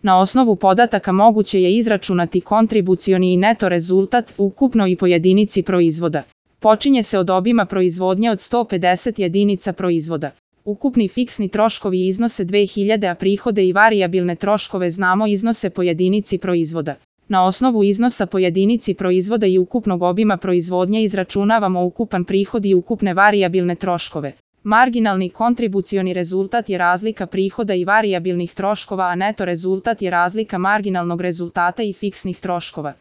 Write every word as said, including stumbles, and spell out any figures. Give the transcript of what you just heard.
Na osnovu podataka moguće je izračunati kontribucioni i neto rezultat ukupno i po jedinici proizvoda. Počinje se od obima proizvodnje od sto pedeset jedinica proizvoda. Ukupni fiksni troškovi iznose dve hiljade, a prihode i varijabilne troškove znamo iznose po jedinici proizvoda. Na osnovu iznosa po jedinici proizvoda i ukupnog obima proizvodnje izračunavamo ukupan prihod i ukupne varijabilne troškove. Marginalni kontribucioni rezultat je razlika prihoda i varijabilnih troškova, a neto rezultat je razlika marginalnog rezultata i fiksnih troškova.